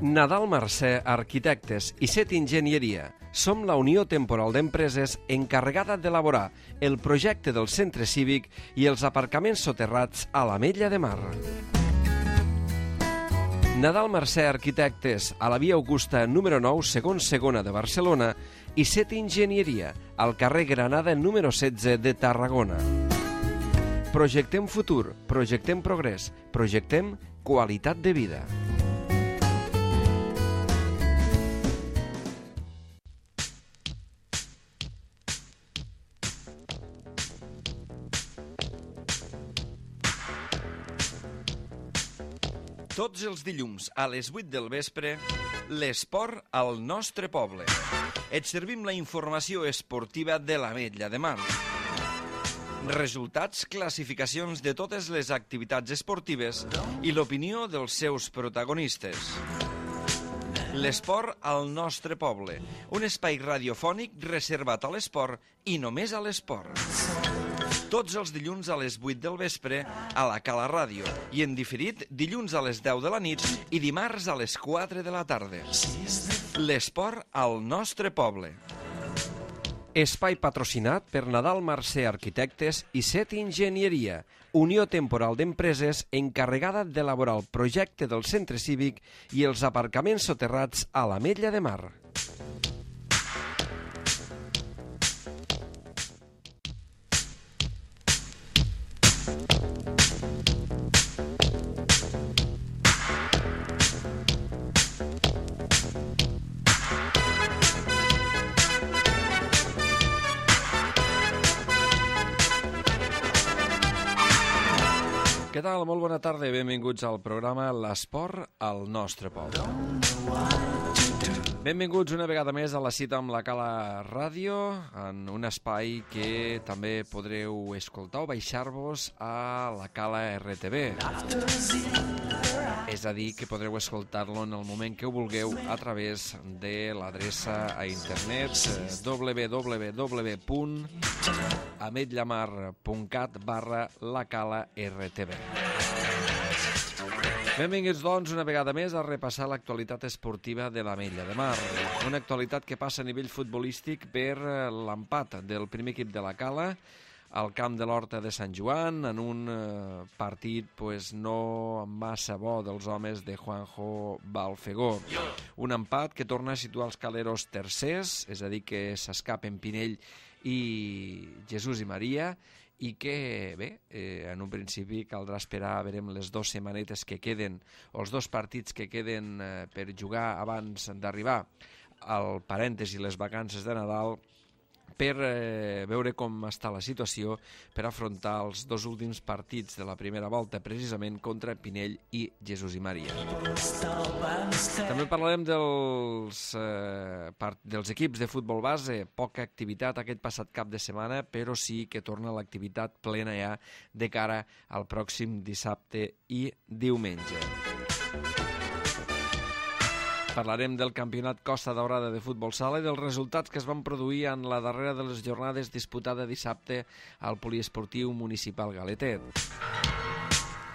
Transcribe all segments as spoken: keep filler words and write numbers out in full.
Nadal Mercè Arquitectes i Set Enginyeria. Som la Unió Temporal d'Empreses encarregada d'elaborar el projecte del centre cívic i els aparcaments soterrats a l'Ametlla de Mar. Nadal Mercè Arquitectes, a la via Augusta número nou, segon segona de Barcelona, i Set Enginyeria, al carrer Granada número setze de Tarragona. Projectem futur, projectem progrés, projectem qualitat de vida. Tots els dilluns a les vuit del vespre, l'esport al nostre poble. Et servim la informació esportiva de l'Ametlla de Mar. Resultats, classificacions de totes les activitats esportives i l'opinió dels seus protagonistes. L'esport al nostre poble, un espai radiofònic reservat a l'esport i només a l'esport. Tots els dilluns a les vuit del vespre a la Cala Ràdio i en diferit dilluns a les deu de la nit i dimarts a les quatre de la tarda. L'esport al nostre poble. Espai patrocinat per Nadal Mercè Arquitectes i Set Enginyeria, Unió Temporal d'Empreses encarregada d'elaborar el projecte del centre cívic i els aparcaments soterrats a l'Ametlla de Mar. Què tal? Molt bona tarda i benvinguts al programa L'Esport al nostre poble. Benvinguts una vegada més a la cita amb la Cala Ràdio, en un espai que també podreu escoltar o baixar-vos a la Cala R T V. És a dir, que podreu escoltar-lo en el moment que ho vulgueu a través de l'adreça a internet w w w punt ametlamar punt cat barra la Cala R T V. Benvinguts, doncs, una vegada més a repassar l'actualitat esportiva de l'Ametlla de Mar. Una actualitat que passa a nivell futbolístic per l'empat del primer equip de la Cala al camp de l'Horta de Sant Joan, en un partit pues, no massa bo dels homes de Juanjo Balfegó. Un empat que torna a situar els caleros tercers, és a dir, que s'escapen Pinell i Jesús i Maria, i que, bé, eh, en un principi caldrà esperar, veurem les dues setmanetes que queden, o els dos partits que queden eh, per jugar abans d'arribar al parèntesi les vacances de Nadal, per eh, veure com està la situació per afrontar els dos últims partits de la primera volta, precisament contra Pinell i Jesús i Maria. També parlarem dels, eh, part, dels equips de futbol base. Poca activitat aquest passat cap de setmana, però sí que torna l'activitat plena ja de cara al pròxim dissabte i diumenge. Parlarem del campionat Costa Daurada de futbol sala i dels resultats que es van produir en la darrera de les jornades disputada dissabte al poliesportiu municipal Galetet.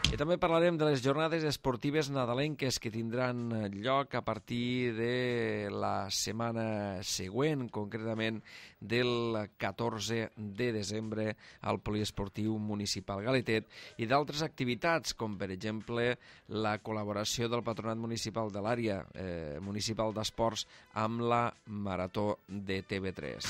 I també parlarem de les jornades esportives nadalenques que tindran lloc a partir de la setmana següent, concretament del catorze de desembre al poliesportiu municipal Galetet, i d'altres activitats, com per exemple la col·laboració del Patronat Municipal de l'àrea eh, municipal d'esports amb la Marató de T V tres.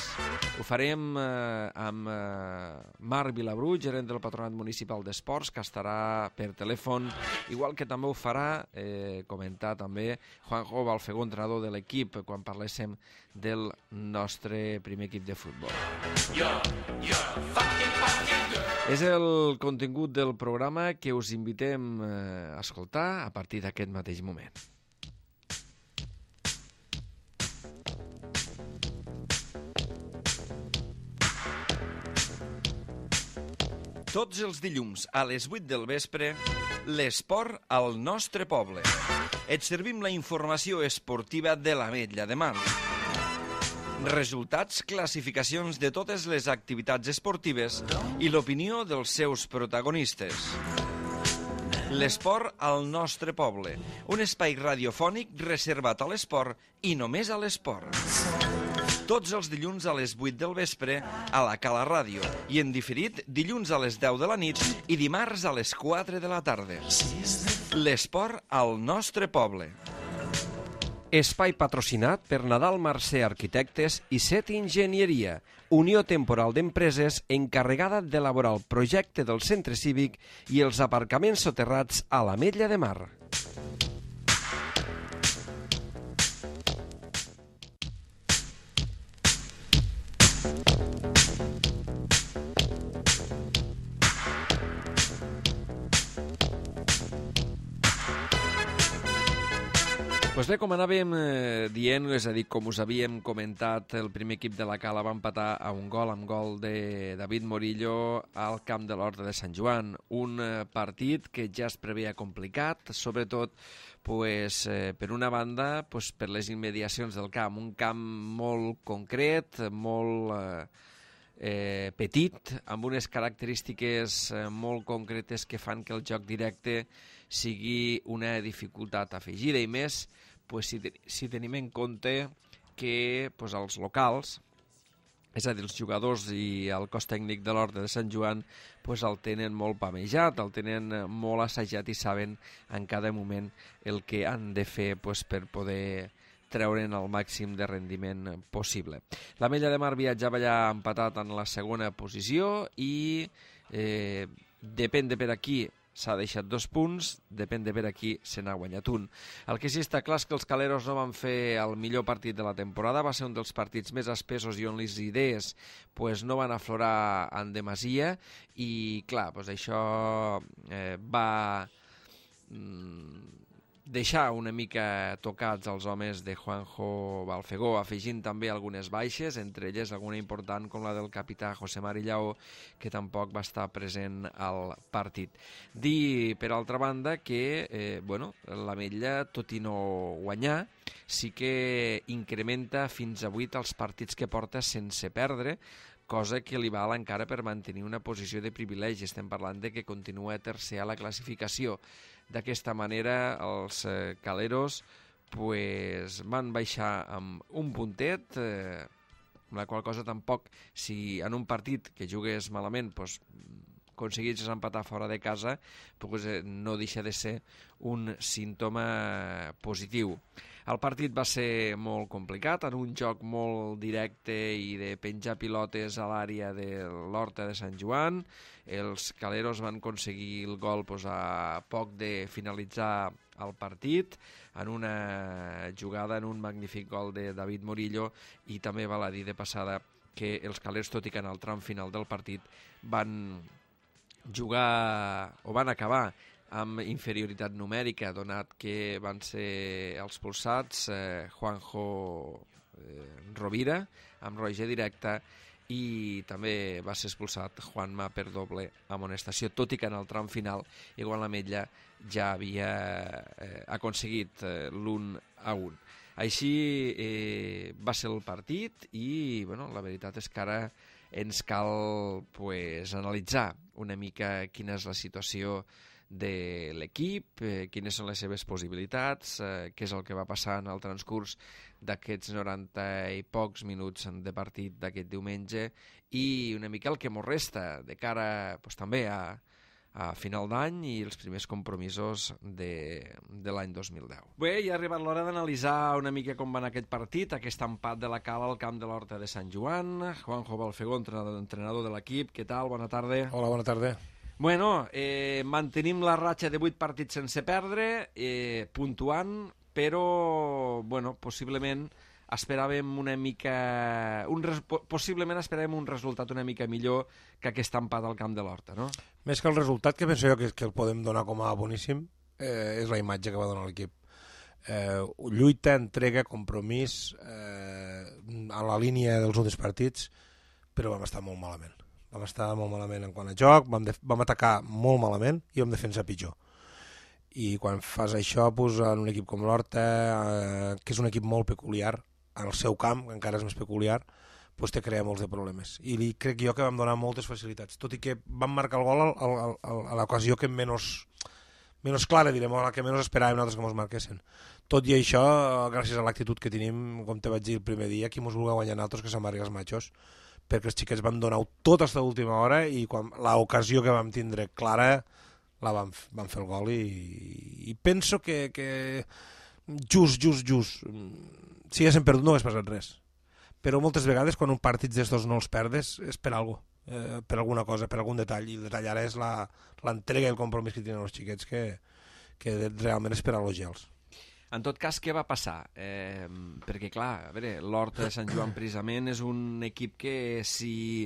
Ho farem eh, amb eh, Marc Vilabrú, gerent del Patronat Municipal d'Esports, que estarà per telèfon, igual que també ho farà eh, comentar també Juanjo Balfegó, entrenador de l'equip, quan parléssim del nostre primer equip de futbol. És el contingut del programa que us invitem a escoltar a partir d'aquest mateix moment. Tots els dilluns a les vuit del vespre, l'esport al nostre poble. Et servim la informació esportiva de l'Ametlla de Mar. Resultats, classificacions de totes les activitats esportives i l'opinió dels seus protagonistes. L'esport al nostre poble. Un espai radiofònic reservat a l'esport i només a l'esport. Tots els dilluns a les vuit del vespre a la Cala Ràdio i en diferit dilluns a les deu de la nit i dimarts a les quatre de la tarda. L'esport al nostre poble. Espai patrocinat per Nadal Mercè Arquitectes i Set Enginyeria, Unió Temporal d'Empreses encarregada d'elaborar el projecte del centre cívic i els aparcaments soterrats a l'Ametlla de Mar. Pues bé, com anàvem eh, dient, és a dir, com us havíem comentat, el primer equip de la Cala va empatar a un gol amb gol de David Morillo al camp de l'Horta de Sant Joan. Un eh, partit que ja es preveia complicat, sobretot pues, eh, per una banda pues, per les immediacions del camp. Un camp molt concret, molt eh, eh, petit, amb unes característiques eh, molt concretes que fan que el joc directe sigui una dificultat afegida i més pues, si, si tenim en compte que pues, els locals, és a dir, els jugadors i el cos tècnic de l'Horta de Sant Joan pues, el tenen molt pamejat, el tenen molt assajat i saben en cada moment el que han de fer pues, per poder treure'n el màxim de rendiment possible. L'Ametlla de Mar viatjava ja empatat en la segona posició i eh, depèn de per aquí s'ha deixat dos punts, depèn de per aquí se n'ha guanyat un. El que sí està clar és que els caleros no van fer el millor partit de la temporada, va ser un dels partits més espesos i on les idees pues, no van aflorar en demasia i clar, pues, això eh, va mm, deixar una mica tocats els homes de Juanjo Balfegó, afegint també algunes baixes, entre elles alguna important com la del capità José Mari Llaó, que tampoc va estar present al partit. Dir, per altra banda, que eh, bueno, l'Ametlla, tot i no guanyar, sí que incrementa fins a vuit els partits que porta sense perdre, cosa que li val encara per mantenir una posició de privilegi. Estem parlant de que continua tercer a la classificació. D'aquesta manera, els eh, caleros pues, van baixar amb un puntet, eh, amb la qual cosa tampoc, si en un partit que jugués malament pues, aconseguis empatar fora de casa, pues, eh, no deixa de ser un símptoma positiu. El partit va ser molt complicat, en un joc molt directe i de penjar pilotes a l'àrea de l'Horta de Sant Joan. Els caleros van aconseguir el gol pues, a poc de finalitzar el partit, en una jugada, en un magnífic gol de David Morillo, i també val a dir de passada que els caleros, tot i que en el tram final del partit van jugar o van acabar amb inferioritat numèrica, donat que van ser expulsats eh, Juanjo eh, Rovira, amb roja directa, i també va ser expulsat Juanma per doble amonestació, tot i que en el tram final igual l'Ametlla ja havia eh, aconseguit eh, l'un a un. Així eh, va ser el partit i bueno, la veritat és que ara ens cal pues, analitzar una mica quina és la situació de l'equip, eh, quines són les seves possibilitats, eh, què és el que va passar en el transcurs d'aquests noranta i pocs minuts de partit d'aquest diumenge i una mica el que mos resta de cara pues, també a, a final d'any i els primers compromisos de, de l'any dos mil deu. Bé, ja ha arribat l'hora d'analitzar una mica com va anar aquest partit, aquest empat de la Cala al camp de l'Horta de Sant Joan. Juanjo Balfegó, entrenador, entrenador de l'equip, què tal? Bona tarda. Hola, bona tarda. Bueno, eh, mantenim la ratxa de vuit partits sense perdre, eh, puntuant, però, bueno, possiblement esperàvem una mica... Un res, possiblement esperàvem un resultat una mica millor que aquest empat al camp de l'Horta, no? Més que el resultat, que penso jo que, que el podem donar com a boníssim, eh, és la imatge que va donar l'equip. Eh, lluita, entrega, compromís, eh, a la línia dels últims partits, però vam estar molt malament. Vam estar molt malament en quant a joc, vam, de, vam atacar molt malament i vam defensar pitjor. I quan fas això, pues, en un equip com l'Horta, eh, que és un equip molt peculiar, en el seu camp, que encara és més peculiar, pues, te crea molts de problemes. I li, crec jo que vam donar moltes facilitats, tot i que vam marcar el gol al, al, al, a l'ocasió que menys, menys clara, direm, o la que menys esperàvem nosaltres que ens marquessin. Tot i això, gràcies a l'actitud que tenim, com te vaig dir el primer dia, qui ens vulgui guanyar nosaltres que s'amargui els matxos, perquè els xiquets van donar tot fins a l'última hora i quan l'ocasió que vam tindre clara la vam, vam fer el gol i, i penso que, que just, just, just, si haguéssim perdut no hagués passat res. Però moltes vegades quan un partit d'estos no els perdes és per alguna cosa, eh, per alguna cosa, per algun detall, i el detall ara és l'entrega i el compromís que tenen els xiquets que, que realment és per elogiar-los. En tot cas, què va passar? Eh, perquè, clar, a veure, l'Horta de Sant Joan precisament és un equip que si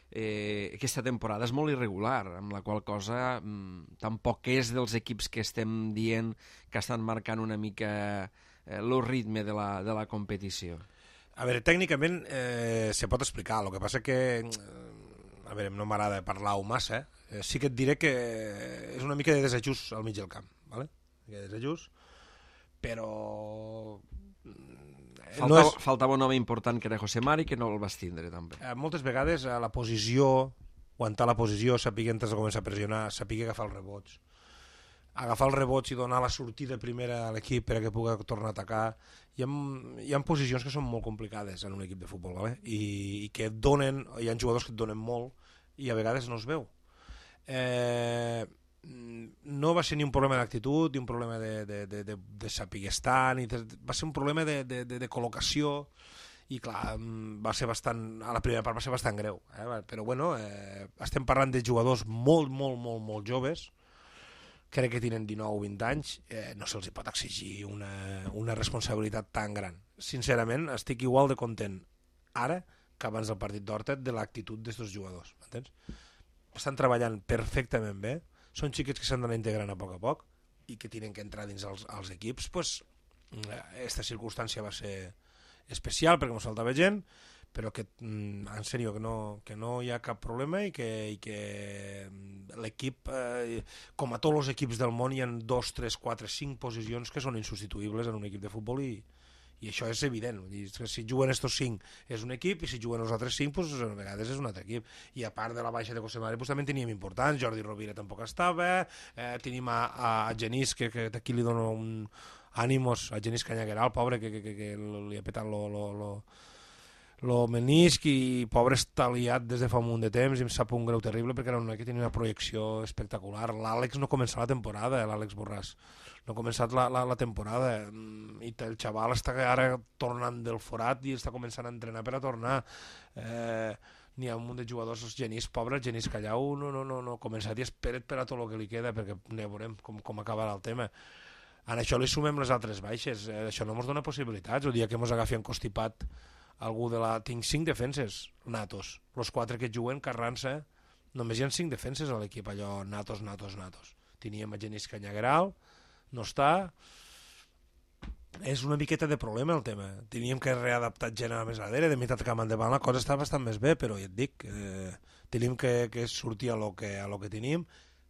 eh, aquesta temporada és molt irregular, amb la qual cosa mm, tampoc és dels equips que estem dient que estan marcant una mica eh, el ritme de la, de la competició. A veure, tècnicament eh, se pot explicar, el que passa que a veure, no m'agrada parlar-ho massa, eh? Sí que et diré que és una mica de desajust al mig del camp, ¿vale? De desajust, però Faltava, no és... faltava un home important que era José Mari, que no el vas tindre també. Eh, moltes vegades a la posició, aguantar la posició, saber antes de començar a pressionar, saber agafar els rebots, agafar els rebots i donar la sortida primera a l'equip perquè pugui tornar a atacar. Hi ha, hi ha posicions que són molt complicades en un equip de futbol, ¿vale? I, i que et donen, hi ha jugadors que et donen molt i a vegades no es veu. Eh, no va ser ni un problema d'actitud ni un problema de, de, de, de, de saber estar, ni de, va ser un problema de, de, de, de col·locació i clar, va ser bastant, a la primera part va ser bastant greu, eh? Però bueno, eh, estem parlant de jugadors molt, molt, molt, molt joves, crec que tenen dinou o vint anys, eh, no se'ls pot exigir una, una responsabilitat tan gran. Sincerament, estic igual de content ara que abans del partit d'Horta de l'actitud d'aquests jugadors, m'entens? Estan treballant perfectament bé, són xiquets que s'han d'anar integrant a poc a poc i que tenen que entrar dins els, els equips. Pues, aquesta circumstància va ser especial perquè ens faltava gent, però que, en sèrio, que no, que no hi ha cap problema i que, i que l'equip, eh, com a tots els equips del món, hi ha dos, tres, quatre, cinc posicions que són insubstituïbles en un equip de futbol i, i això és evident. Si juguen estos cinc és un equip i si juguen els altres cinc pues, a vegades és un altre equip. I a part de la baixa de José Mari pues, també teníem importants, Jordi Rovira tampoc estava, eh, tenim a, a Genís que, que d'aquí li dono un ànimos, a Genís Canyagueral, pobre, que, que, que, que li ha petat lo, lo, lo, lo menisc i pobre està liat des de fa un munt de temps i em sap un greu terrible perquè era un que tenia una projecció espectacular. L'Àlex no començava la temporada, eh, l'Àlex Borràs. No ha començat la, la, la temporada i el xaval està ara tornant del forat i està començant a entrenar per a tornar. Eh, n'hi ha un munt de jugadors, els Genís, pobre, el Genís Callau no, no, no, no començat i espera't per a tot el que li queda perquè ja veurem com, com acabarà el tema. En això li sumem les altres baixes, eh, això no ens dona possibilitats. El dia que ens agafi encostipat algú de la... Tinc cinc defenses natos, els quatre que juguen Carranza, només hi ha cinc defenses a l'equip, allò natos, natos, natos. Teníem a Genís Canyagueral, no està, és una miqueta de problema el tema. Teníem que readaptar gent a la més darrere, de meitat camp endavant la cosa està bastant més bé, però ja et dic, eh, tenim que, que sortir a lo que, a lo que tenim.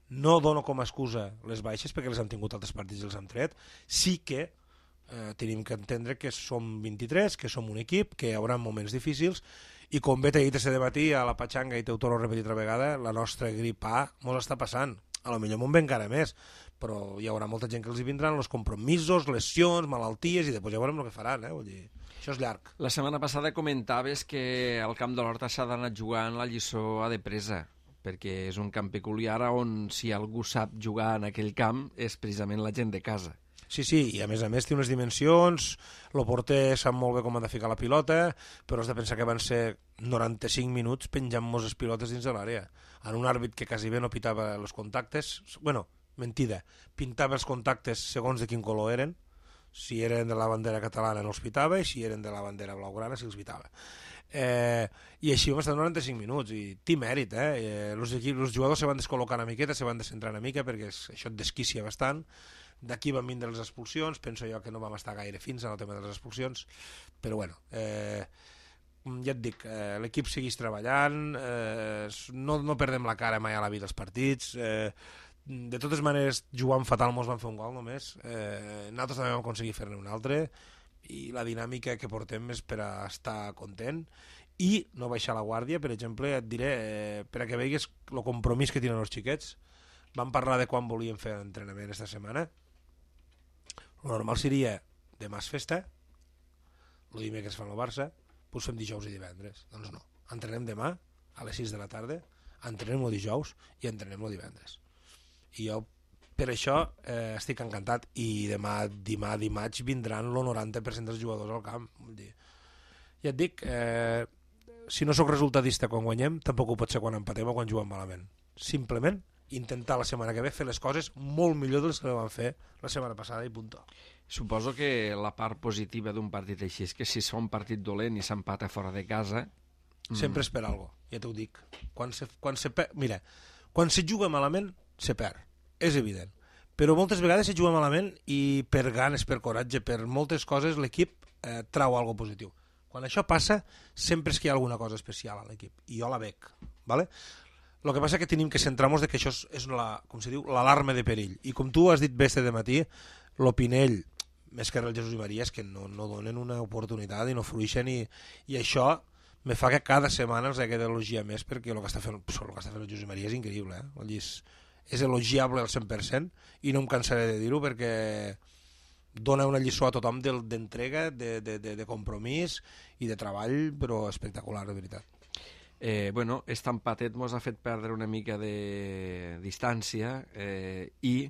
No dono com a excusa les baixes perquè les han tingut altres partits i els han tret. Sí que eh, tenim que entendre que som vint-i-tres, que som un equip, que hi haurà moments difícils i com bé t'he dit aquest matí a la Patxanga i t'ho torno a repetir altra vegada, la nostra grip A mos està passant. A lo millor m'ho ve encara més, però hi haurà molta gent que els hi vindran els compromisos, lesions, malalties i després ja veurem el que faran, eh? Vull dir, això és llarg. La setmana passada comentaves que al camp de l'Horta s'ha d'anar jugant la lliçó a de presa, perquè és un camp peculiar on si algú sap jugar en aquell camp és precisament la gent de casa. Sí, sí, i a més a més té unes dimensions, el porter sap molt bé com ha de ficar la pilota, però has de pensar que van ser noranta-cinc minuts penjant-nos les pilotes dins de l'àrea. En un àrbit que quasi bé no pitava els contactes, bueno, mentida, pintava els contactes segons de quin color eren, si eren de la bandera catalana no els pitava i si eren de la bandera blaugrana sí els pitava. Eh, I així vam estar noranta-cinc minuts i té mèrit, eh? Els eh, jugadors se van descol·locar una miqueta, se van descentrar una mica perquè això et desquicia bastant. D'aquí van vindre les expulsions, penso jo que no vam estar gaire fins en el tema de les expulsions, però bueno, eh, ja et dic, eh, l'equip segueix treballant, eh, no, no perdem la cara mai a la vida als partits, eh, de totes maneres jugant fatal mos van fer un gol només, eh, nosaltres també vam aconseguir fer-ne un altre i la dinàmica que portem és per a estar content i no baixar la guàrdia. Per exemple, et diré, eh, per a que veguis el compromís que tenen els xiquets, vam parlar de quan volíem fer l'entrenament aquesta setmana. El normal seria demà és festa, el dimecres fan el Barça, doncs fem dijous i divendres. Doncs no, entrenem demà a les sis de la tarda, entrenem el dijous i entrenem el divendres. I jo per això eh, estic encantat, i demà, demà dimarts vindran el noranta per cent dels jugadors al camp. Vull dir, ja et dic, eh, si no sóc resultadista quan guanyem, tampoc ho pot ser quan empatem o quan juguem malament. Simplement intentar la setmana que ve fer les coses molt millor de les que vam fer la setmana passada i punt. Suposo que la part positiva d'un partit així és que si es fa un partit dolent i s'empata fora de casa... Sempre es perd alguna cosa, ja t'ho dic. Quan se, quan se per... Mira, quan se juga malament, se perd. És evident. Però moltes vegades se juga malament i per ganes, per coratge, per moltes coses, l'equip eh, trau alguna positiu. Quan això passa, sempre és que hi ha alguna cosa especial a l'equip. I jo la veig. ¿Vale? El que passa és que tenim que centrar-nos que això és, la, com se diu, l'alarma de perill. I com tu has dit bé este dematí, l'Opinell, més que el Jesús i Maria, és que no, no donen una oportunitat i no fruixen, i, i això me fa que cada setmana els hagi d'elogiar més, perquè el que està fent, el que està fent el Jesús i Maria és increïble. Eh? És, és elogiable al cent per cent i no em cansaré de dir-ho, perquè dona una lliçó a tothom d'entrega, de, de, de, de compromís i de treball, però espectacular, de veritat. Eh, bueno, este empatet mos ha fet perdre una mica de distància eh, i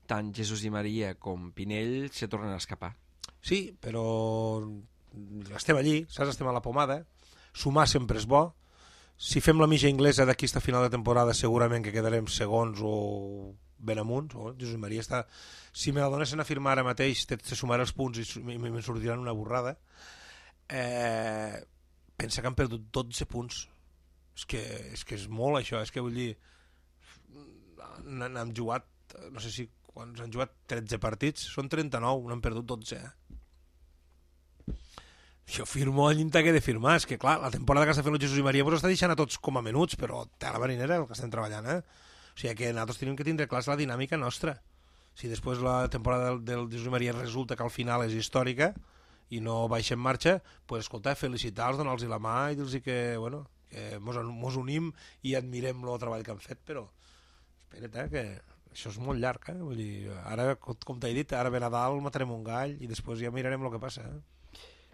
tant Jesús i Maria com Pinell se tornen a escapar. Sí, però estem allí, saps? Estem a la pomada, sumar sempre és bo. Si fem la mitja inglesa d'aquí a final de temporada segurament que quedarem segons o ben amunt. Oh, Jesús i Maria està... Si me la donessin a firmar ara mateix, te, te sumaré els punts i me sortiran una borrada. Eh, pensa que han perdut dotze punts. És que, és que és molt això, és que vull dir, n'han jugat, no sé si quan han jugat tretze partits, són trenta-nou, n'han perdut dotze. Eh? Jo firmo el llindar que he de firmar, és que clar, la temporada que està fent el Jesús i Maria ens està deixant a tots com a menuts, però té la marinera el que estem treballant, eh? O sigui que nosaltres tenim que tindre clar la dinàmica nostra. Si després la temporada del, del Jesús i Maria resulta que al final és històrica i no baixa en marxa, pues, escolta, felicitar-los, donar-los la mà i dir-los que, bueno, que mos, mos unim i admirem el treball que han fet, però espera't, eh, que això és molt llarg, eh? Vull dir, ara, com t'he dit, ara ve Nadal, matarem un gall i després ja mirarem el que passa, eh?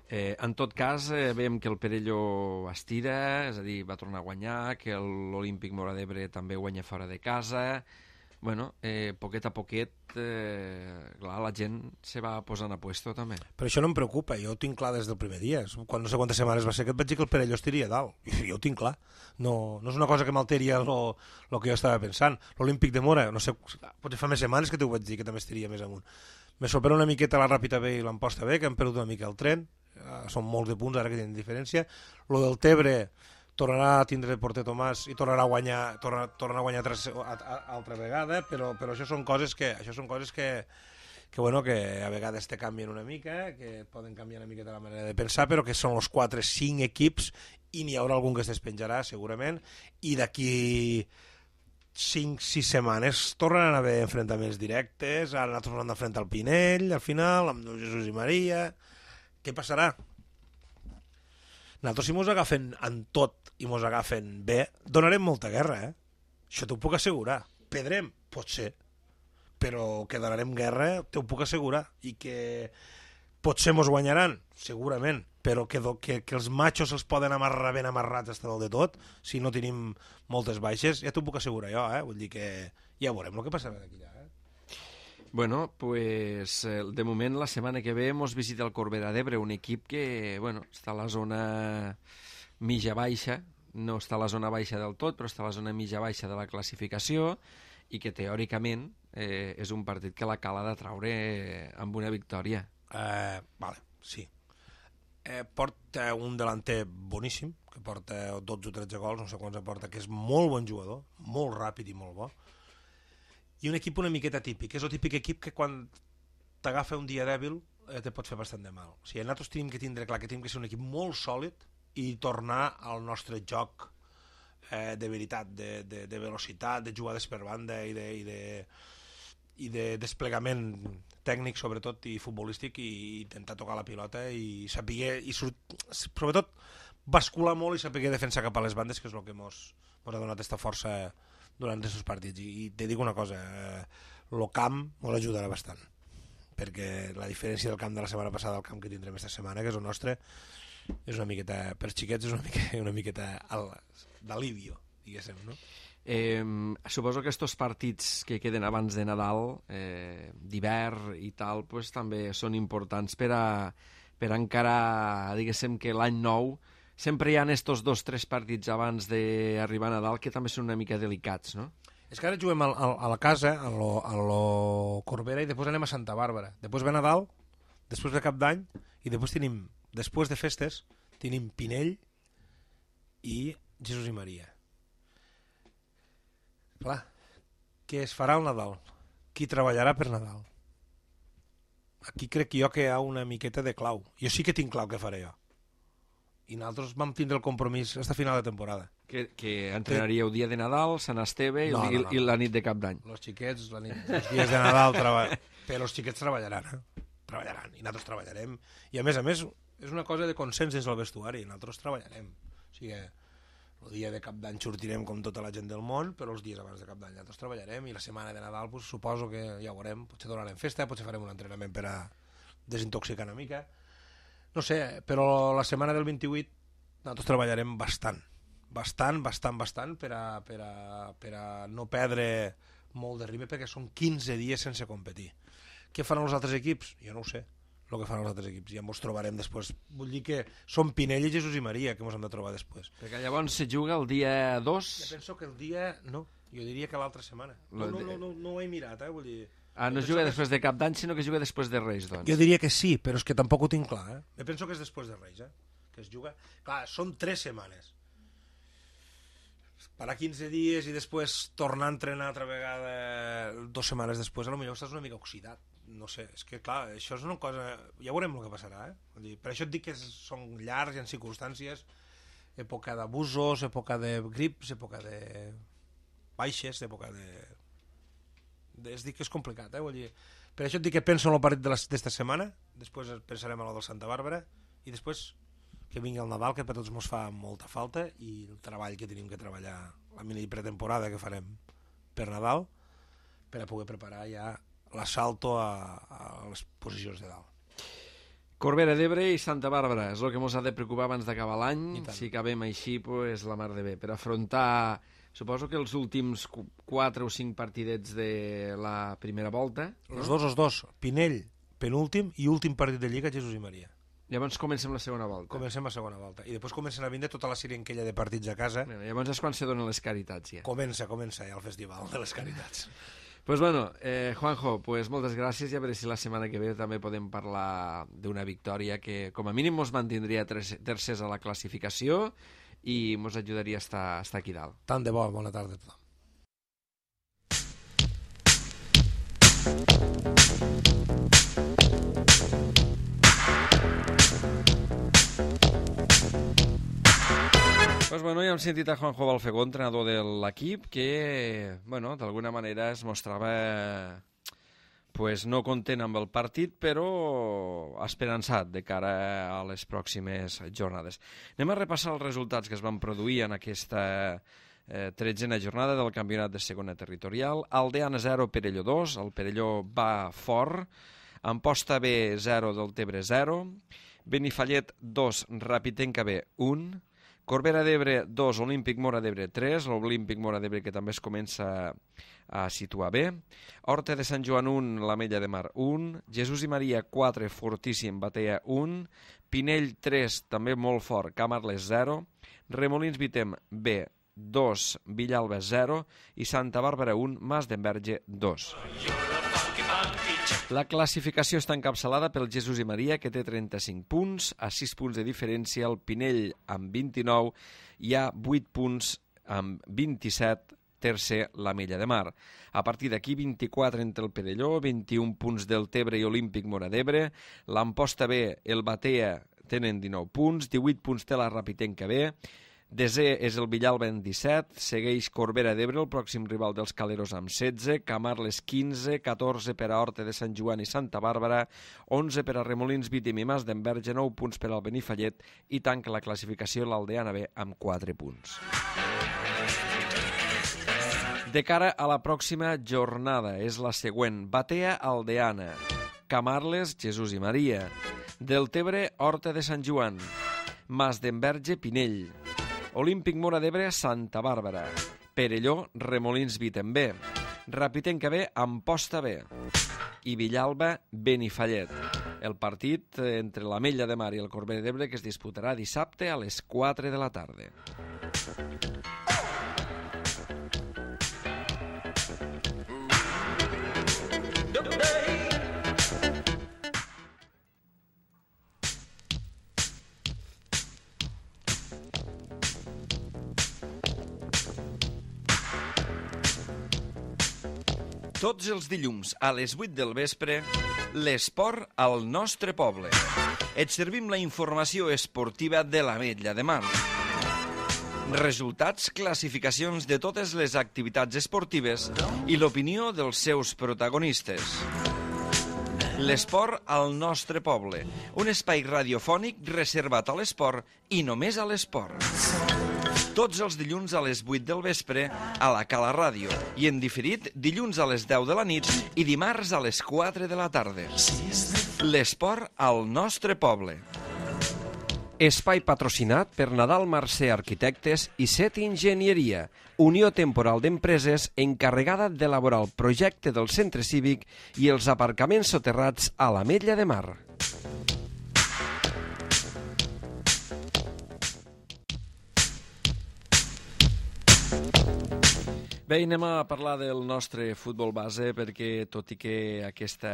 Eh, en tot cas, eh, veiem que el Perelló estira, és a dir, va tornar a guanyar, que l'Olímpic Móra d'Ebre també guanya fora de casa. Bueno, eh, poquet a poquet, eh, clar, la gent se va posant a puesto també. Però això no em preocupa, jo ho tinc clar des del primer dia. Quan no sé quantes setmanes va ser que et vaig dir que el Perelló estiria dalt. Jo ho tinc clar. No, no és una cosa que m'alteri el que jo estava pensant. L'Olímpic de Móra, no sé, potser fa més setmanes que t'ho vaig dir que també estiria més amunt. Me sorprèn una miqueta la Ràpita B i l'Amposta B, que han perdut una mica el tren. Uh, són molts de punts ara que tenen diferència. Lo del Tebre tornarà a tindre el porter Tomàs i tornarà a guanyar, torna, tornarà a guanyar tres, a, a, altra vegada, però, però això són coses que això són coses que, que, bueno, que a vegades te canvien una mica, que poden canviar una mica de la manera de pensar, però que són els quatre cinc equips i n'hi haurà algun que es despenjarà segurament, i d'aquí cinc sis setmanes tornaran a haver enfrontaments directes. Ara nosaltres hem d'enfrontar el Pinell al final, amb Jesús i Maria. Què passarà? Nosaltres si mos agafen en tot i mos agafen bé, donarem molta guerra, eh? Això t'ho puc assegurar. Pedrem? Potser. Però que donarem guerra t'ho puc assegurar. I que potser mos guanyaran? Segurament. Però que, que, que els machos els poden amarrar ben amarrats hasta dalt de tot, si no tenim moltes baixes, ja t'ho puc assegurar jo, eh? Vull dir que ja veurem el que passarà d'aquí allà, eh? Bueno, pues de moment la setmana que ve mos visita el Corbera d'Ebre, un equip que, bueno, està a la zona mitja baixa, no està a la zona baixa del tot, però està a la zona mitja baixa de la classificació i que teòricament eh, és un partit que la Cala ha de traure amb una victòria. Eh, vale, sí. Eh, porta un delanter boníssim, que porta dotze o tretze gols, no sé quants aporta, que és molt bon jugador, molt ràpid i molt bo. I un equip una miqueta típic, és el típic equip que quan t'agafa un dia dèbil eh, te pot fer bastant de mal. O sigui, nosaltres tenim que tindre clar que tenim que ser un equip molt sòlid i tornar al nostre joc eh, de veritat, de, de, de velocitat, de jugades per banda i de, i de, i de desplegament tècnic sobretot i futbolístic, i intentar tocar la pilota i saber, i sobretot bascular molt i saber defensar cap a les bandes, que és el que mos, mos ha donat aquesta força durant aquests partits. I, i te dic una cosa, el eh, camp ens ajudarà bastant, perquè la diferència del camp de la setmana passada al camp que tindrem aquesta setmana, que és el nostre, és una miqueta, per xiquets és una miqueta, una miqueta d'alivio, diguéssim, no? Eh, suposo que estos partits que queden abans de Nadal, eh, d'hivern i tal, pues, també són importants per a, per a encarar, diguéssim, que l'any nou sempre hi ha estos dos o tres partits abans d'arribar a Nadal que també són una mica delicats, no? És que ara juguem a, a, a la casa, a lo, a lo Corbera, i després anem a Santa Bàrbara. Després ve Nadal, després ve Cap d'Any, i després tenim, després de festes, tenim Pinell i Jesús i Maria. Clar, què es farà al Nadal? Qui treballarà per Nadal? Aquí crec jo que hi ha una miqueta de clau. Jo sí que tinc clau què faré jo. I nosaltres vam tindre el compromís fins a final de temporada. Que, que entrenaríeu dia de Nadal, Sant Esteve i, no, no, i, no. i la nit de Cap d'Any. Els xiquets, la nit, els dies de Nadal, treba... però els xiquets treballaran, eh? Treballaran, i nosaltres treballarem. I a més a més, és una cosa de consens dins el vestuari, nosaltres treballarem. O sigui, el dia de Cap d'Any sortirem com tota la gent del món, però els dies abans de Cap d'Any nosaltres treballarem, i la setmana de Nadal pues, suposo que ja ho veurem, potser donarem festa, potser farem un entrenament per a desintoxicar una mica, no sé, però la setmana del vint-i-vuit nosaltres treballarem bastant, bastant, bastant, bastant per a, per a, per a no perdre molt de ritme, perquè són quinze dies sense competir. Què faran els altres equips? Jo no ho sé, el que fan els altres equips, ja ens trobarem després. Vull dir que són Pinell i Jesús i Maria que ens hem de trobar després. Perquè llavors se juga el dia dos... Jo penso que el dia... no, jo diria que l'altra setmana. No, no, no, no, no ho he mirat, eh, vull dir... Ah, no es juga després de Cap d'Any, sinó que es juga després de Reis, doncs. Jo diria que sí, però és que tampoc ho tinc clar, eh? Jo penso que és després de Reis, eh? Que es juga... Clar, són tres setmanes. Parar quinze dies i després tornar a entrenar altra vegada dues setmanes després, potser estàs una mica oxidat. No sé, és que clar, això és una cosa... Ja veurem el que passarà, eh? Vull dir, per això et dic que són llargs, hi ha circumstàncies, època d'abusos, època de grips, època de baixes, època de... Es dic que és complicat, eh? Vull dir, per això et dic que penso en el partit d'esta setmana, després pensarem en el del Santa Bàrbara, i després que vingui el Nadal, que per tots ens fa molta falta, i el treball que tenim que treballar, la mini pretemporada que farem per Nadal, per a poder preparar ja l'assalto a, a les posicions de dalt. Corbera d'Ebre i Santa Bàrbara és el que ens ha de preocupar abans d'acabar l'any. Si acabem així, pues, la mar de bé. Per afrontar, suposo que els últims quatre o cinc partidets de la primera volta... Els no? dos, els dos. Pinell, penúltim, i últim partit de Lliga, Jesús i Maria. Llavors comencem la segona volta. Comencem la segona volta. I després comencen a vindre tota la sirenquella de partits a casa. Bueno, llavors és quan se donen les caritats, ja. Comença, comença ja el festival de les caritats. Pues bueno, eh, Juanjo, pues moltes gràcies, i a veure si la setmana que ve també podem parlar d'una victòria que com a mínim ens mantindria tercers a la classificació i ens ajudaria a estar, a estar aquí dalt. Tant de bo, bona tarda a tothom. Pues bueno, ja hem sentit a Juanjo Balfegó, entrenador de l'equip, que, bueno, d'alguna manera es mostrava pues, no content amb el partit, però esperançat de cara a les pròximes jornades. Anem a repassar els resultats que es van produir en aquesta eh, tretzena jornada del campionat de segona territorial. Aldeana zero, Perelló dos, el Perelló va fort, Amposta B zero, del Tebre zero, Benifallet dos, Rapitenca B un, Corbera d'Ebre dos, Olímpic Mora d'Ebre tres, l'Olímpic Mora d'Ebre que també es comença a situar bé, Horta de Sant Joan un, l'Ametlla de Mar un, Jesús i Maria quatre, Fortíssim, Batea un, Pinell tres, també molt fort, Camarles zero, Remolins Vitem B dos, Villalba zero i Santa Bàrbara un, Mas d'Enverge dos. La classificació està encapçalada pel Jesús i Maria, que té trenta-cinc punts, a sis punts de diferència el Pinell amb vint-i-nou i a vuit punts amb vint-i-set, tercer l'Ametlla de Mar. A partir d'aquí, vint-i-quatre entre el Perelló, vint-i-un punts del Tebre i Olímpic Mora d'Ebre, l'Amposta B, el Batea tenen dinou punts, divuit punts té la Rapitenca B, desè és el Villalba en disset, segueix Corbera d'Ebre, el pròxim rival dels Caleros, amb setze, Camarles quinze, catorze per a Horta de Sant Joan i Santa Bàrbara, onze per a Remolins Vitem i Mas d'Enverge, nou punts per al Benifallet i tanca la classificació l'Aldeana B amb quatre punts. De cara a la pròxima jornada, és la següent. Batea, Aldeana. Camarles, Jesús i Maria. Deltebre, Horta de Sant Joan. Mas d'Enverge, Pinell. Olímpic Móra d'Ebre, Santa Bàrbara. Perelló, Remolins Vitembé. Rapitenca B, Amposta B. I Villalba, Benifallet. El partit entre l'Ametlla de Mar i el Corbera d'Ebre que es disputarà dissabte a les quatre de la tarda. Tots els dilluns a les vuit del vespre, l'esport al nostre poble. Et servim la informació esportiva de l'Ametlla de Mar. Resultats, classificacions de totes les activitats esportives i l'opinió dels seus protagonistes. L'esport al nostre poble, un espai radiofònic reservat a l'esport i només a l'esport. Tots els dilluns a les vuit del vespre a la Cala Ràdio i en diferit dilluns a les deu de la nit i dimarts a les quatre de la tarda. L'esport al nostre poble. Espai patrocinat per Nadal Mercè Arquitectes i Set Enginyeria, Unió Temporal d'Empreses encarregada d'elaborar el projecte del centre cívic i els aparcaments soterrats a l'Ametlla de Mar. Bé, anem a parlar del nostre futbol base perquè, tot i que aquesta,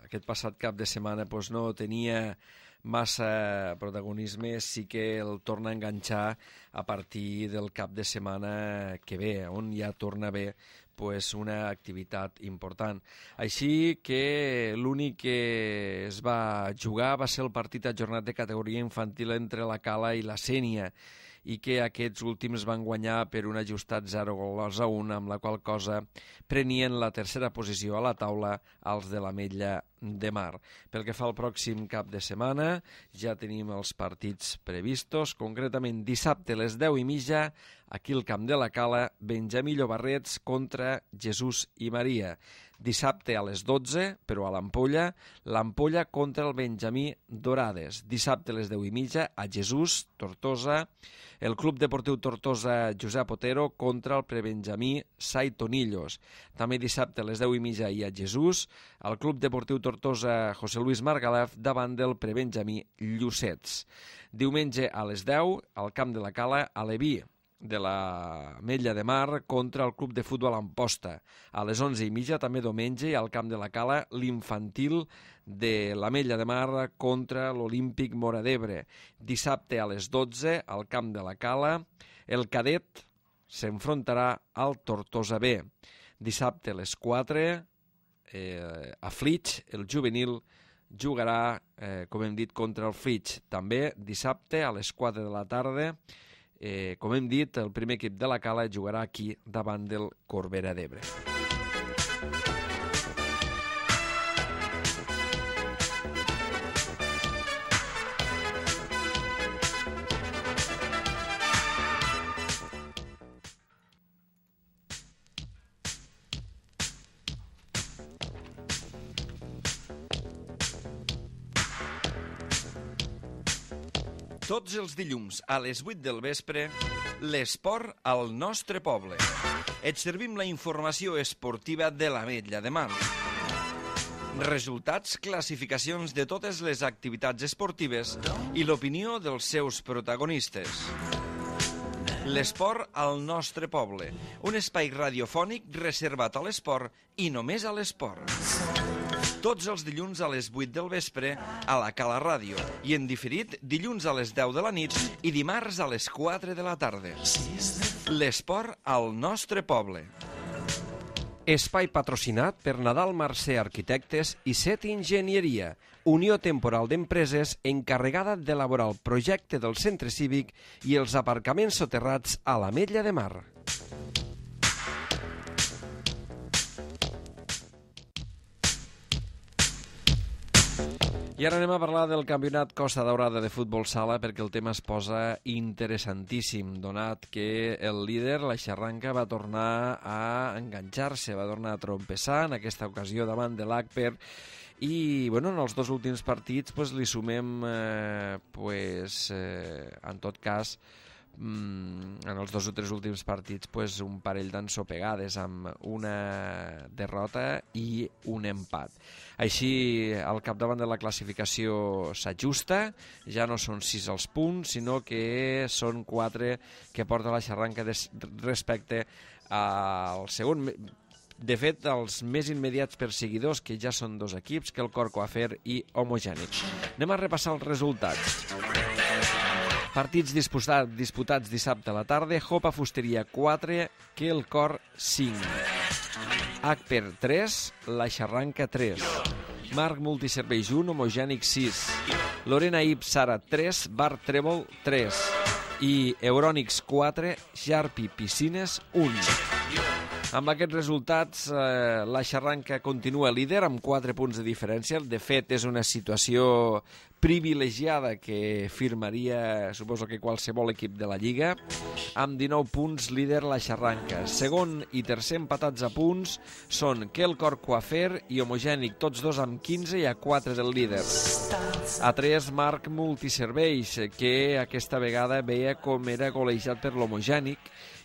aquest passat cap de setmana pues, no tenia massa protagonisme, sí que el torna a enganxar a partir del cap de setmana que ve, on ja torna a haver pues, una activitat important. Així que l'únic que es va jugar va ser el partit ajornat de categoria infantil entre la Cala i la Sénia, i que aquests últims van guanyar per un ajustat zero gols a un, amb la qual cosa prenien la tercera posició a la taula als de l'Ametlla de Mar. Pel que fa al pròxim cap de setmana, ja tenim els partits previstos, concretament dissabte a les deu i mitja, aquí al camp de la Cala, Benjamí Llobarrets contra Jesús i Maria. Dissabte a les dotze, però a l'Ampolla, l'Ampolla contra el Benjamí Dorades. Dissabte a les deu i mitja, a Jesús, Tortosa, el Club Deportiu Tortosa Josep Otero contra el Prebenjamí Saitonillos. També dissabte a les deu i mitja i a Jesús, el Club Deportiu Tortosa José Luis Margalef davant del Prebenjamí Llucets. Diumenge a les deu, al camp de la Cala, a Leví, de l'Ametlla de Mar contra el Club de Futbol Amposta. A les onze i mitja, també diumenge, al camp de la Cala, l'infantil de l'Ametlla de Mar contra l'Olímpic Móra d'Ebre. Dissabte a les dotze, al camp de la Cala, el cadet s'enfrontarà al Tortosa B. Dissabte a les quatre, eh, a Flix, el juvenil jugarà, eh, com hem dit, contra el Flix. També dissabte a les quatre de la tarda, Eh, com hem dit, el primer equip de la Cala jugarà aquí davant del Corbera d'Ebre. Tots els dilluns a les vuit del vespre, l'esport al nostre poble. Et servim la informació esportiva de l'Ametlla de Mar. Resultats, classificacions de totes les activitats esportives i l'opinió dels seus protagonistes. L'esport al nostre poble, un espai radiofònic reservat a l'esport i només a l'esport. Tots els dilluns a les vuit del vespre a la Cala Ràdio i en diferit dilluns a les deu de la nit i dimarts a les quatre de la tarda. L'esport al nostre poble. Espai patrocinat per Nadal Mercè Arquitectes i Set Enginyeria, Unió Temporal d'Empreses encarregada d'elaborar el projecte del centre cívic i els aparcaments soterrats a l'Ametlla de Mar. I ara anem a parlar del campionat Costa Daurada de futbol sala perquè el tema es posa interessantíssim, donat que el líder, la Xarranca, va tornar a enganxar-se, va tornar a trompessar en aquesta ocasió davant de l'Agper i bueno, en els dos últims partits pues, li sumem, eh, pues, eh, en tot cas, en els dos o tres últims partits pues, un parell d'ensopegades amb una derrota i un empat. Així el capdavant de la classificació s'ajusta, ja no són sis els punts, sinó que són quatre que porta la Xarranca respecte al segon. De fet, els més immediats perseguidors, que ja són dos equips, que el Cor Coafer i Homogènic. Anem a repassar els resultats. Partits disputats, disputats dissabte a la tarda. Jopa Fusteria quatre, que el Cor cinc. Agper tres, la Xarranca tres. Marc Multiserveis un, Homogènic sis. Lorena Ip Sara tres, Bar Trèvol tres. I Eurònics quatre, Jarpi Piscines un. Amb aquests resultats, eh, la Xarranca continua líder amb quatre punts de diferència. De fet, és una situació privilegiada que firmaria, suposo que qualsevol equip de la Lliga. Amb dinou punts, líder la Xarranca. Segon i tercer empatats a punts són Quel Cor Coafer i Homogènic, tots dos amb quinze i a quatre del líder. A tres, Marc Multiserveis, que aquesta vegada veia com era golejat per l'Homogènic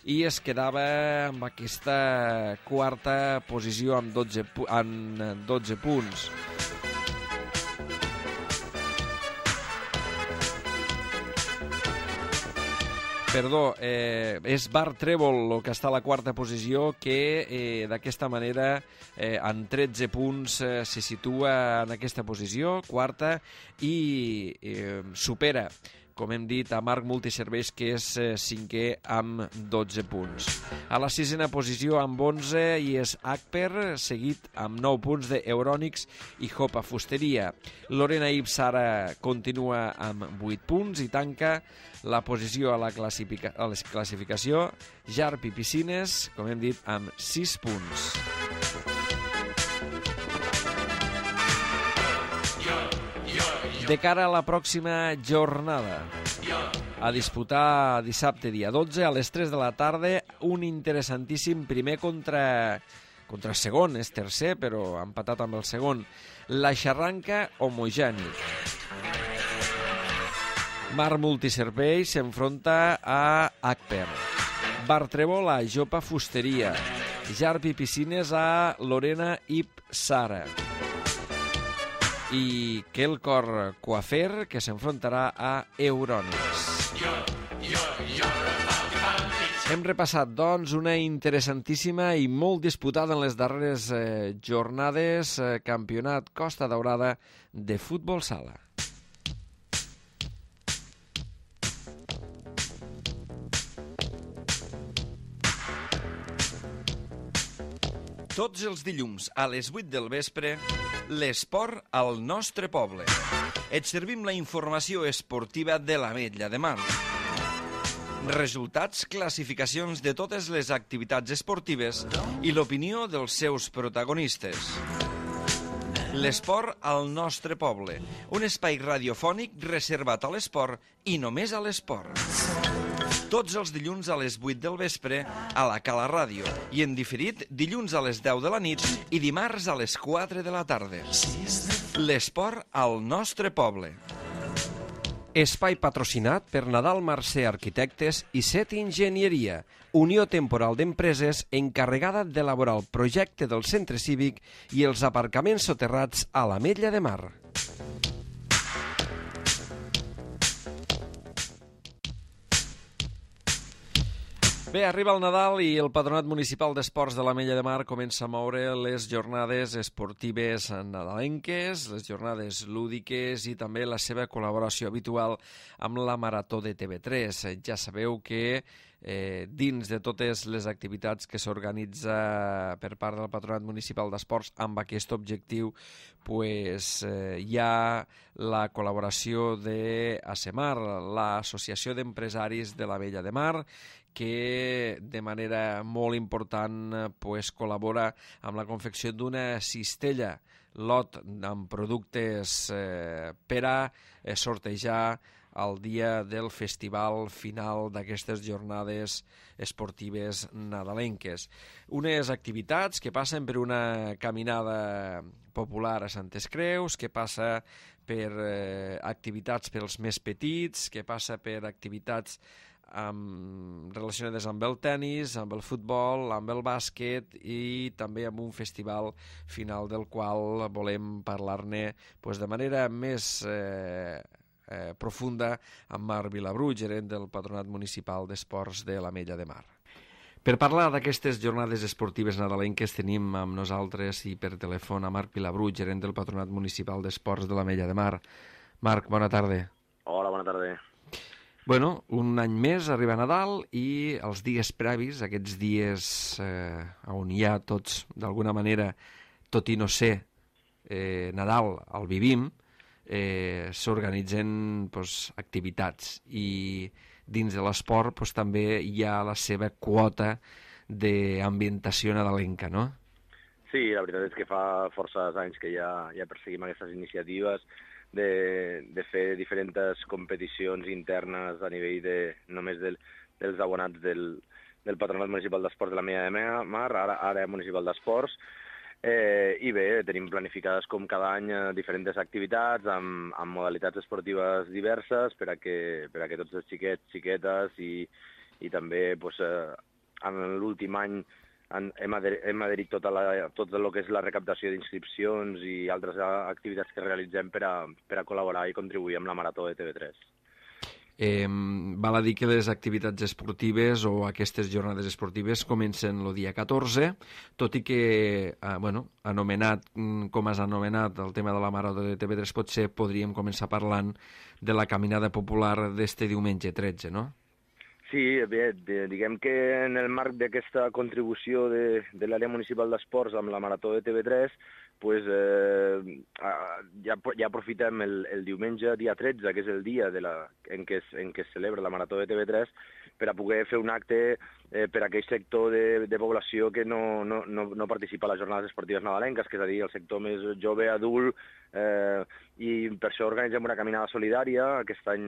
i es quedava amb aquesta quarta posició amb dotze, amb dotze punts. Perdó, eh, és Bar Trèvol el que està a la quarta posició, que eh, d'aquesta manera eh, en tretze punts eh, se situa en aquesta posició, quarta, i eh, supera, com hem dit, a Marc Multiserveis, que és eh, cinquè amb dotze punts. A la sisena posició amb onze i és Agper, seguit amb nou punts d'Eurònics i Jopa Fusteria. Lorena Ip Sara continua amb vuit punts i tanca la posició a la, classifica a la classificació Jarpi Piscines, com hem dit, amb sis punts. De cara a la pròxima jornada, a disputar dissabte dia dotze a les tres de la tarda, un interessantíssim primer contra, contra el segon, és tercer però empatat amb el segon, la Xarranca Homogènic. Mar Multiservei s'enfronta a Agper, Bar Trèvol a Jopa Fusteria, Jarpi Piscines a Lorena Ip Sara i Quel Cor Coafer, que s'enfrontarà a Eurònics. Hem repassat, doncs, una interessantíssima i molt disputada en les darreres eh, jornades eh, campionat Costa Daurada de futbol sala. Tots els dilluns a les vuit del vespre, l'esport al nostre poble. Et servim la informació esportiva de l'Ametlla de Mar. Resultats, classificacions de totes les activitats esportives i l'opinió dels seus protagonistes. L'esport al nostre poble, un espai radiofònic reservat a l'esport i només a l'esport. Tots els dilluns a les vuit del vespre a la Cala Ràdio i en diferit dilluns a les deu de la nit i dimarts a les quatre de la tarda. L'esport al nostre poble. Espai patrocinat per Nadal Mercè Arquitectes i Set Enginyeria, unió temporal d'empreses encarregada d'elaborar el projecte del centre cívic i els aparcaments soterrats a l'Ametlla de Mar. Bé, arriba el Nadal i el Patronat Municipal d'Esports de l'Ametlla de Mar comença a moure les jornades esportives nadalenques, les jornades lúdiques i també la seva col·laboració habitual amb la Marató de T V tres. Ja sabeu que eh, dins de totes les activitats que s'organitza per part del Patronat Municipal d'Esports amb aquest objectiu, pues, eh, hi ha la col·laboració de ASEMAR, l'Associació d'Empresaris de l'Ametlla de Mar, que de manera molt important pues, col·labora amb la confecció d'una cistella lot amb productes eh, per a eh, sortejar el dia del festival final d'aquestes jornades esportives nadalenques. Unes activitats que passen per una caminada popular a Santes Creus, que passa per eh, activitats pels més petits, que passa per activitats amb, relacionades amb el tennis, amb el futbol, amb el bàsquet i també amb un festival final del qual volem parlar-ne pues, de manera més eh, eh, profunda amb Marc Vilabrú, gerent del Patronat Municipal d'Esports de l'Ametlla de Mar. Per parlar d'aquestes jornades esportives nadalenques tenim amb nosaltres i per telèfon a Marc Vilabrú, gerent del Patronat Municipal d'Esports de l'Ametlla de Mar. Marc, bona tarda. Hola, bona tarda. Bueno, un any més arriba Nadal i els dies previs, aquests dies eh, on hi ha tots, d'alguna manera, tot i no ser eh, Nadal, el vivim, eh, s'organitzen pues, activitats i dins de l'esport pues, també hi ha la seva quota d'ambientació nadalenca, no? Sí, la veritat és que fa força anys que ja, ja perseguim aquestes iniciatives de, de fer diferents competicions internes a nivell de, només del, dels abonats del, del Patronat Municipal d'Esports de l'Ametlla de Mar, ara, ara municipal d'esports, eh, i bé, tenim planificades com cada any diferents activitats amb, amb modalitats esportives diverses per a que, per a que tots els xiquets, xiquetes i, i també pues, eh, en l'últim any Han, hem, ader, hem adherit tota la, tot el que és la recaptació d'inscripcions i altres activitats que realitzem per a, per a col·laborar i contribuir amb la Marató de T V tres. Eh, val a dir que les activitats esportives o aquestes jornades esportives comencen el dia catorze, tot i que, eh, bueno, anomenat, com has anomenat el tema de la Marató de T V tres, potser podríem començar parlant de la caminada popular d'este diumenge tretze, no? Sí, bé, diguem que en el marc d'aquesta contribució de, de l'àrea municipal d'esports amb la Marató de T V tres, pues, eh, ja, ja aprofitem el, el diumenge, dia tretze, que és el dia de la, en, què es, en què es celebra la Marató de T V tres, per a poder fer un acte eh, per a aquell sector de, de població que no, no, no, no participa a les jornades esportives nadalenques, que és a dir, el sector més jove, adult, eh, i per això organitzem una caminada solidària aquest any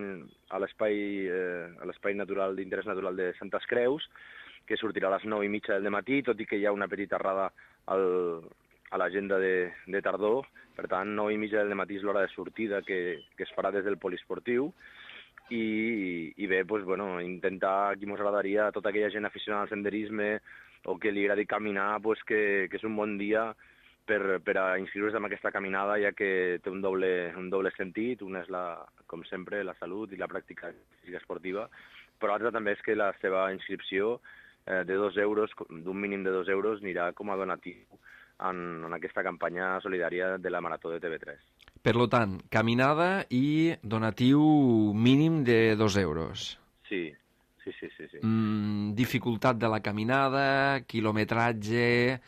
a l'espai eh, a l'espai natural d'interès natural de Santes Creus, que sortirà a les nou i mitja del matí, tot i que hi ha una petita errada al, a l'agenda de, de tardor. Per tant, nou i mitja del matí és l'hora de sortida que, que es farà des del poliesportiu. I, i bé, doncs, bueno, intentar, aquí ens agradaria, a tota aquella gent aficionada al senderisme o que li agradi caminar, doncs, que, que és un bon dia per, per a inscriure's en aquesta caminada, ja que té un doble, un doble sentit. Una és, la, com sempre, la salut i la pràctica física esportiva, però l'altra també és que la seva inscripció eh, de dos euros, d'un mínim de dos euros, anirà com a donatiu en, en aquesta campanya solidària de la Marató de T V tres. Per tant, caminada i donatiu mínim de dos euros. Sí, sí, sí. sí, sí. Mm, dificultat de la caminada, quilometratge,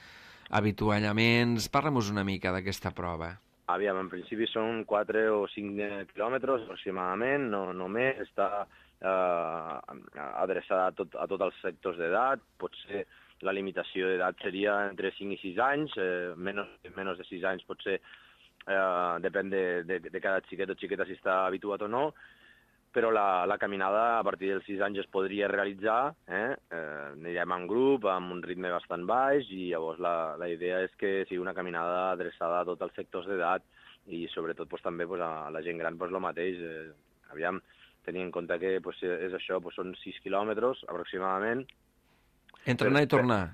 avituallaments... Parla-nos una mica d'aquesta prova. Aviam, en principi són quatre o cinc quilòmetres aproximadament, no, no més, està eh, adreçada a, tot, a tots els sectors d'edat, potser la limitació d'edat seria entre cinc i sis anys, eh, menys, menys de sis anys potser eh, depèn de, de, de cada xiquet o xiqueta si està habituat o no, però la, la caminada a partir dels sis anys es podria realitzar, eh? Eh, anirem en grup, amb un ritme bastant baix, i llavors la, la idea és que sigui una caminada adreçada a tots els sectors d'edat i sobretot pues, també pues, a la gent gran pues, el mateix. Eh, aviam, tenint en compte que pues, és això, pues, són sis quilòmetres aproximadament. Entrenar i tornar.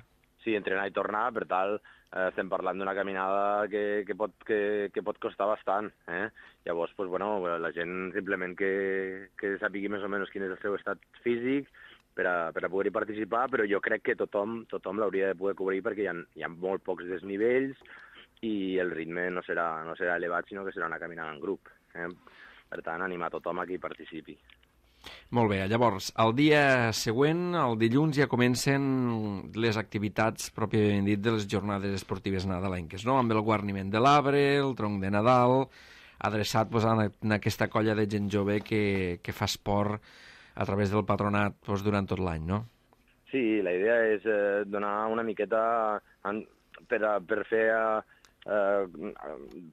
Sí, entrenar i tornar, per tal, eh, estem parlant d'una caminada que, que, pot, que, que pot costar bastant. Eh? Llavors, pues, bueno, la gent simplement que, que sàpigui més o menys quin és el seu estat físic per a, per a poder-hi participar, però jo crec que tothom, tothom l'hauria de poder cobrir perquè hi ha, hi ha molt pocs desnivells i el ritme no serà, no serà elevat, sinó que serà una caminada en grup. Eh? Per tant, animar tothom a qui participi. Molt bé, llavors, el dia següent, el dilluns, ja comencen les activitats pròpiament dit de les jornades esportives nadalenques, no? Amb el guarniment de l'arbre, el tronc de Nadal, adreçat pues, a, a aquesta colla de gent jove que, que fa esport a través del patronat pues, durant tot l'any, no? Sí, la idea és eh, donar una miqueta en, per, a, per fer a, eh,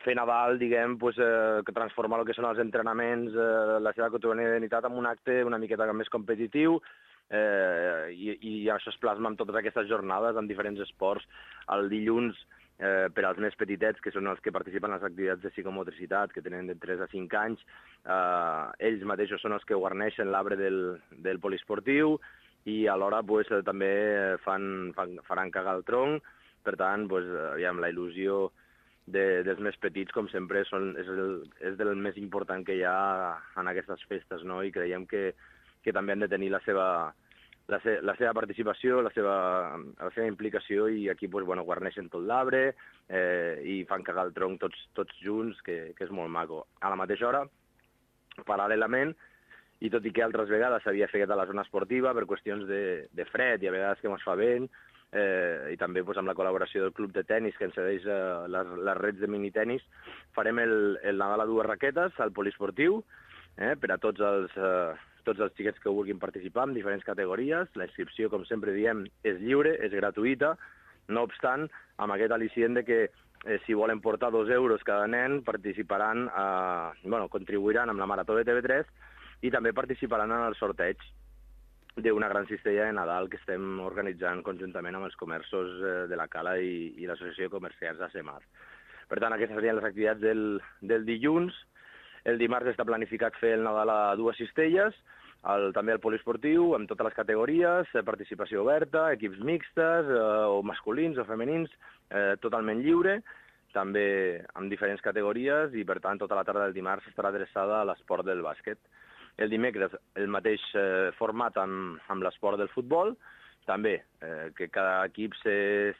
fer Nadal, diguem, pues, eh, que transformar el que són els entrenaments, eh, la seva quotidianitat en un acte una miqueta més competitiu, eh, i, i això es plasma en totes aquestes jornades en diferents esports. El dilluns, eh, per als més petitets, que són els que participen en les activitats de psicomotricitat, que tenen de tres a cinc anys, eh, ells mateixos són els que guarneixen l'arbre del, del poliesportiu, i alhora pues, també fan, fan, faran cagar el tronc. Per tant, pues, aviam, la il·lusió de, dels més petits, com sempre, són, és, el, és del més important que hi ha en aquestes festes, no? I creiem que, que també han de tenir la seva, la, se, la seva participació, la seva, la seva implicació, i aquí pues, bueno, guarneixen tot l'arbre eh, i fan cagar el tronc tots, tots junts, que, que és molt maco. A la mateixa hora, paral·lelament, i tot i que altres vegades s'havia fet a la zona esportiva per qüestions de, de fred i a vegades que ens fa vent, eh, i també pues, amb la col·laboració del club de tennis que ens cedeix eh, les, les rets de minitenis, farem el, el Nadal a dues raquetes al poliesportiu, eh, per a tots els, eh, tots els xiquets que vulguin participar en diferents categories. La inscripció, com sempre diem, és lliure, és gratuïta, no obstant, amb aquest al·licient de que eh, si volen portar dos euros cada nen, participaran, eh, bueno, contribuiran amb la Marató de T V tres i també participaran en el sorteig d'una gran cistella de Nadal que estem organitzant conjuntament amb els comerços de la Cala i, i l'Associació de Comerciants de Semar. Per tant, aquestes serien les activitats del, del dilluns. El dimarts està planificat fer el Nadal a dues cistelles, el, també el poliesportiu, amb totes les categories, participació oberta, equips mixtes, eh, o masculins o femenins, eh, totalment lliure, també amb diferents categories, i per tant tota la tarda del dimarts estarà adreçada a l'esport del bàsquet. El dimecres el mateix eh, format amb, amb l'esport del futbol, també eh, que cada equip s'inscriu